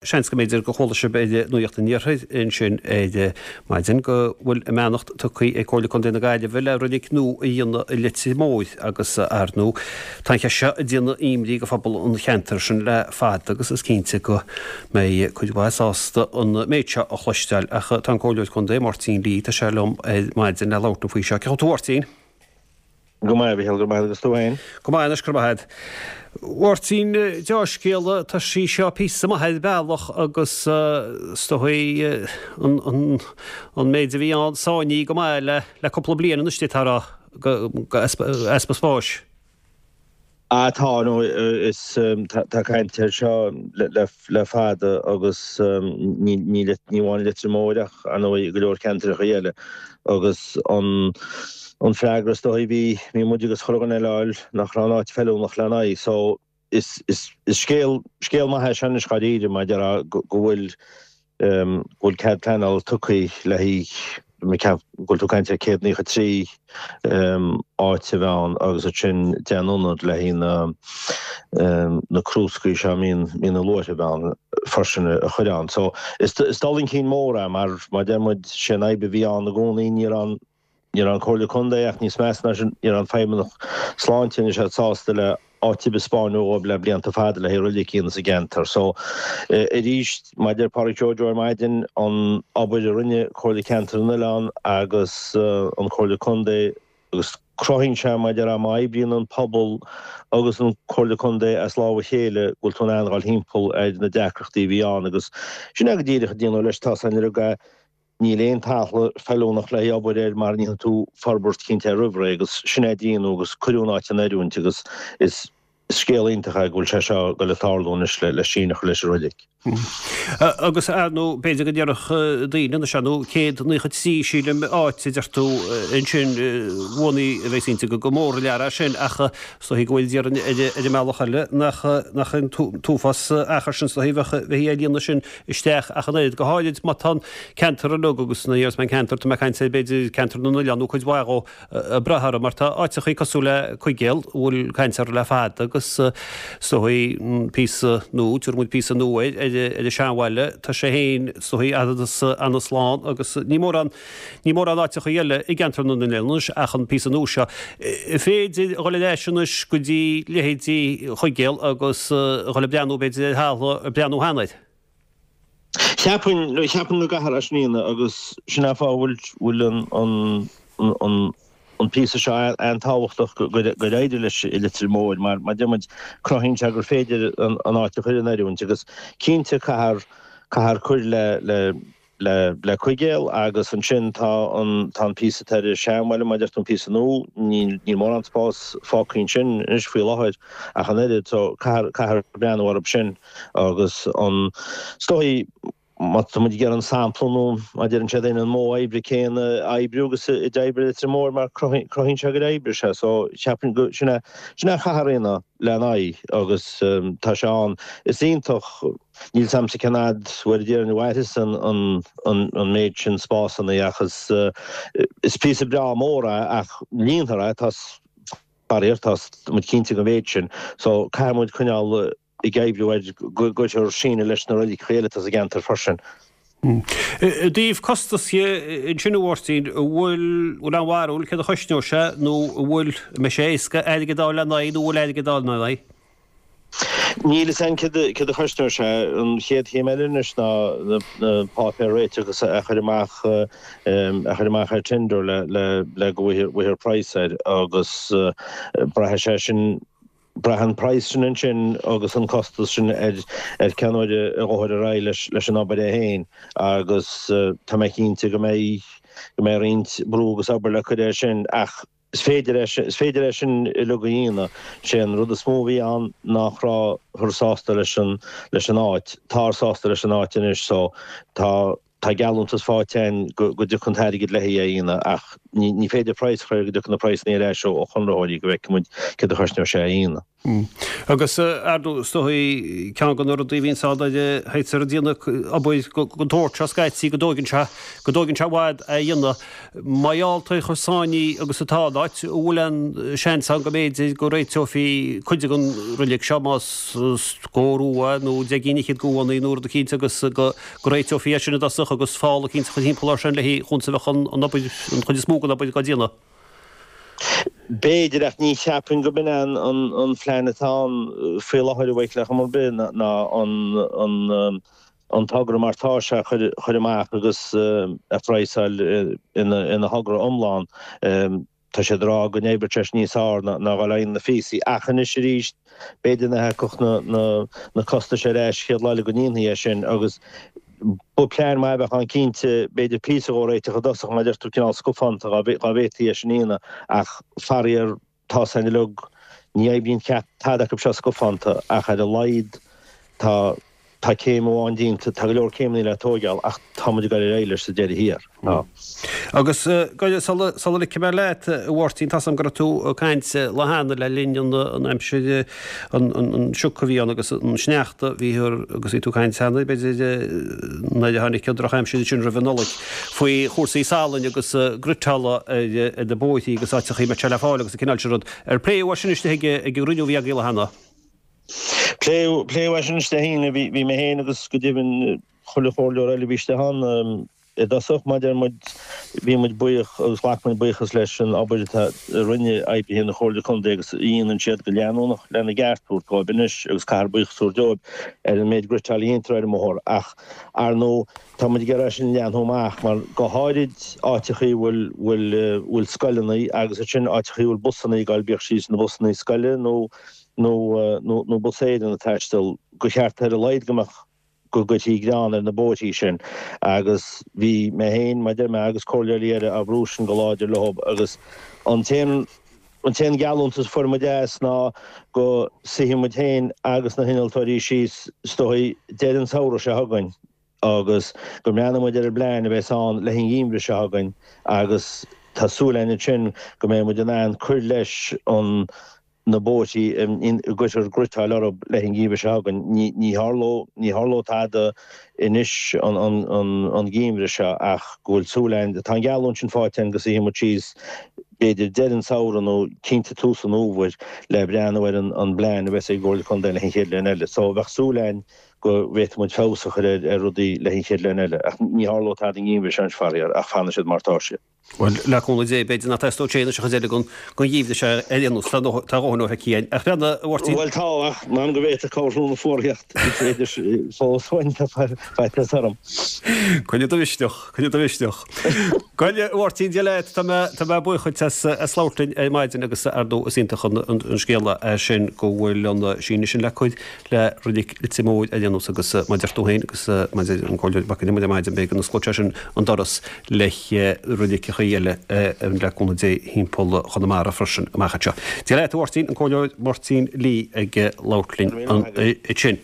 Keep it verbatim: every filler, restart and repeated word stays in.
Seans go mb'fhéidir go chuala sibh ar Nuacht an Iarthair ansin ar maidin go bhfuil a mbeannacht tugtha ag Comhairle Contae na Gaillimhe le reilig nua a dhéanamh i Leitir Móir agus ar ndóigh tá an cheist seo ag déanamh imní go phobal an cheantair sin le fada agus is cinnte go mbeidh cuid mhaith sásta an méid seo a chloisteáil ach tá an Comhairleoir Contae Máirtín Lee tá sé liom ar maidin le labhairt faoi seo. Cén chaoi a bhfuil tú a Mháirtín? Go maith, Mhichíl, go maith agus tú féin? Go maith anois, go maith. Mháirtín, dea-scéala, tá sí seo píosa maith ar bealach agus is dóigh an, an, an méid a bhí ann sáinnithe go maith le, le cúpla bliain anois d'fhéadfá a rá, go, go easpa, easpa spáis. Ah tá, nó is tá caint air seo le fada agus ní ní amháin Leitir Móir ach ar ndóigh go leor ceantracha eile agus an an freagra is dóigh bhí bhí muid agus chuile dhuine eile a fháil nach raibh an áit feiliúnach lena aghaidh so is is is scéal scéal maith é sin anois dháiríre mar a déarfá go bhfuil go bhfuil cead pleanála tugtha le haghaidh go bhfuil tú ag caint ar céad naocha trí áit a bheith ann agus ansin deich n-ionad le haghaidh na na crúscaí seo a mbíonn mbíonn na luaithreamh ann freisin a chur ann. So is is dul chun cinn mór é mar mar deir muid sé an fhadhb a bhí ann i gcónaí ní raibh an ní raibh an Comhairle Contae ach níos measa ná sin ní raibh an Feidhmeannach Sláinte anois sásta le áit ar bith a 'speáint dhóibh le blianta fada le haghaidh roilig a dhéanamh sa gceantar. So, arís, mar a deir Pádraig Joe Joe ar maidin, an obair a rinne Comhairle Ceantair na nOileán agus an Chomhairle Contae agus cruthaíonn sé, mar a déarfá, má oibríonn an pobal agus an Chomhairle Contae as lámh a chéile go bhfuil tú in ann dhul thimpeall ar na deacrachtaí a bhí ann agus sin é go díreach a déanadh leis tá san ar Níl aon talamh feiliúnach le haghaidh obair air mara ndéanfaidh tú forbairt cinnte air roimh ré agus sin é a déanadh agus cuireadh an áit in oiriúint agus is scéal iontach é go bhfuil sé seo ag dul ag tarlú anois le síneadh a chur leis an roilig. Agus ar ndóigh b'fhéidir go ndéarfadh daoine anois ar ndóigh céad naocha trí sílim áit a deir tú ansin bhuanaí a bheidh cinnte go mór an lear é sin ach is dóichí go bhfuil déarfainn ar an mbealach eile nach nach an t-uafás achar sin is dóichí bheadh bheith ag líonadh sin isteach ach an oiread, go háirid má tá an ceantar uilig agus nuair a déarfas mé an ceantar, tá mé ag caint ar b'fhéidir ceantar na n-oileán nó cuid mhaith dhó ag brath orthu mar tá áiteachaí cosúil le Cuigéal a bhfuil caint orthu le fada agus is dóichí píosa nua, tabharfaidh muid píosa nua air, ar an seanbhaile, tá sé féin is dóichí an-slán agus ní mórán, ní mórán áiteachaí eile i gceantar na n-oileán anois ach an píosa nua seo. An féidir a dhul ar ais anois go dtí leithéidí Chuigéal agus a dhul ag breathnú b'fhéidir ar thalamh a breathnú cheana air? Cheapfainn, cheapfainn go gcaithfear é sin a dhéanamh agus sin é an fáth a bhfuil, bhfuil an, an, an, an píosa seo an-tábhachtach gur éirigh leis i Leitir Móir mar, mar deir muid, cruthaíonn sé gur féidir an, an áit a chur in oiriúint agus cinnte caithfear, caithfear cur le, le, le, le Cuigéal agus ansin tá an, tá an píosa atá ar an Seanbhaile, mar a deir tú, an píosa nua, níl, níl mórán spás fágtha ansin anois faoi láthair ach an oiread so caithfear, caithfear breathnú orthu sin. Agus an, is dóigh, má tá muid ag iarraidh an sampla nó mar a deireann siad an modh oibre céanna a oibriú agus a d'oibrigh Leitir Móir mar cruthaíonn sé gur oibrigh sé. So cheapfainn go, sin é, sin é a chaithfear a dhéanamh lena aghaidh agus tá sé ann. Is iontach, níl 's a'msa cén fhad bhfuil déarfainn a mhairfeas an, an, an, an méid sin spásanna ach is, is píosa breá mór é ach líonfar é, tá, faraor, tá muid cinnte den mhéid sin. So caithfidh muid coinneáil ag oibriú air go gcuirfear síneadh leis na roiligeacha eile atá sa gceantar freisin. I dtaobh costas dhe ansin a Mháirtín, an bhfuil bhfuil aon bharúil céard a chosnóidh sé nó an bhfuil, an mbeidh sé éasca airgead a fháil lena aghaidh nó an bhfuil airgead a fháil lena aghaidh? Níl fhios a'inn céard a chosnóidh sé. An chéad chéim eile anois ná na páipéir réitigh a chur amach a chur amach ar tender le le go bhfaighfear praghas air agus braithfidh sé sin Braitheann an praghas sin ansin agus an costas sin ar ar cén uair a ghabhfar ar aghaidh leis leis an obair é féin agus tá mé cinnte go mbeidh go mbeidh roinnt brú agus obair le cur air sin ach is féidir é sin is féidir é sin uilig a dhéanamh. Sé an rud is mó a bhí ann nach rabhthar sásta leis an leis an áit. Táthar sásta leis an áit anois so tá tá geallúntas faighte againn go go dtiocfaidh an t-airgead le haghaidh é a dhéanamh ach ní féidir praghas a chur go dtiocfaidh na praghsanna ar ais ó chonraitheoirí go bhfeicfidh muid céard a chosnóidh sé a dhéanamh. Agus ar ndóigh is dóigh ceann de na rudaí a bhíonns ann a théitear ag déanamh obair den tsórt seo scaití go dtóigeann sé go dtóigeann sé i bhfad a dhéanamh. Mar gheall ar chomh sáinnithe agus atá an áit, an bhfuil aon seans ann go mb'fhéidir go réiteofaí cuid den roilig seo más scór uaidh nó deich gcinn fhichead de bhunnaí nó rud eicínt agus go réiteofaí é sin i dtosach agus fál eicínt a chur thimpeall air sin le conas a bheadh an obair, an chuid is mó den obair dhá déanamh. B'fhéidir, ach ní cheapaim go b'in é an phlean atá ann faoi láthair a Mhichíl ar chuma ar bith ná an togra mar tá sé a chur amach agus a phraghsáil ina thogra iomlán. Tá siad ag rá go n-oibreodh sé níos fearr ná dhul ar aghaidh na phíosaí. Ach anois arís, b'fhéidir nach dtiocfadh na costais ar ais chéad lá eile go ndéanfaí é sin agus ba plean maith a bheadh ann cinnte, b'fhéidir píosa dhó a réiteach i dtosach mar a deir tú cineál scafánta dá bhféadfaí é sin a dhéanamh ach faraor tá san uilig, ní oibríonn tada acu seo scafánta ach ar a laghad tá Tá céim amháin déanta, tá go leor céimeanna le tóigeáil ach tá muid ag dul ar aghaidh leis sa deireadh thiar. Tá. Agus sula sula ligfidh mé leat, a Mháirtín, tá's agam go raibh tú ag caint lá cheana le linn an aimsir an an sioc a bhí ann agus an sneachta a bhí thiar agus bhí tú ag caint cheana, b'fhéidir, nuair a tháinig an drochaimsir sin roimh an Nollaig, faoi chúrsaí salainn agus griotála ar na bóithrí agus áiteachaí a mbeadh sé le fáil agus an cineál sin rud. Ar pléadh é sin istigh ag an gcruinniú a bhí agaibh lá cheana? Pléadh é sin istigh ann, bhí mé féin agus go deimhin chuile chomhairleoir eile a bhí istigh ann i dtosach. Mar a deir muid, bhí muid buíoch agus ghlac muid buíochas leis an obair atá a rinne oibrithe na Comhairle Contae agus a dhéanann siad go leanúnach lena gceart a thabhairt dóibh anois agus caithfear buíochas a thabhairt dóibh ar an méid griotáil a dhéantar ar an mbóthar ach ar ndóigh tá muid ag iarraidh sin a leathnú amach mar go háirid áiteachaí a bhfuil bhfuil bhfuil scoileanna agus ansin áiteachaí a bhfuil busanna ag dul bíodh siad na busanna scoile nó nó nó Bus Éireann ag taisteal, gur cheart ar a laghad go mbeadh, go gcuirfí grean ar na bóithrí sin agus bhí mé féin, mar a deir mé, agus comhairleoirí eile á bhrú sin go láidir leo agus an t-aon, an t-aon gheallúntas a fuair muid as ná go suífidh muid féin agus na hinnealtóirí síos is dóigh deireadh an tsamhraidh seo chugainn agus go mbreathnóidh muid ar an bplean a bheas ann le an gheimhreadh seo chugainn agus tá súil againn ansin go mbeidh muid in ann cur leis an na bóithrí a gcuirfear griotáil orthu le an gheimhreadh seo chugainn. Ní tharlóidh, ní tharlóidh tada anois an geimhreadh seo ach go bhfuil súil againn, tá an gheallúint sin faighte againn go suífidh muid síos b'fhéidir deireadh an tsamhraidh nó cinnte tús an fhómhair le breathnú ar an bplean a bheas ag an gComhairle Contae le an chéad bhliain eile. So bheadh súil againn go bhféadfadh muid feabhas a chur ar rudaí le an chéad bhliain eile ach ní tharlóidh tada an geimhreadh seo anois faraor ach fanfaidh siad mar atá siad. Bhuel, le cúnamh Dé, b'fhéidir nach dteastódh sé anois an chuid eile den gheimhreadh seo ar aon nós, tá a dhóthain feicthe againn. Ach breathnaigh, a Mháirtín. Bhuel, tá, ach m'anam go bhféadfadh cabhrú na fuarthaíocht, is féidir fós uainn, tá faitíos orm. Coinnigh do mhisneach, coinnigh do mhisneach. Bhuel, a Mháirtín, Dia leat, tá mé, tá mé buíoch dhuit as, as labhairt linn ar maidin agus ar ndóigh is iontach an, an, an scéala é sin go bhfuil an síneadh sin le cur le Reilig Leitir Móir ar aon nós agus mar a deir tú féin agus mar a deir an Comhairleoir Mac Con Iomaire ar maidin, beidh go n-osclóidh sé sin an doras le reiligeachaí eile le cúnamh Dé thimpeall Chonamara freisin amach anseo. Dia leat a Mháirtín, an Comhairleoir Máirtín Lee ag labhairt linn ansin.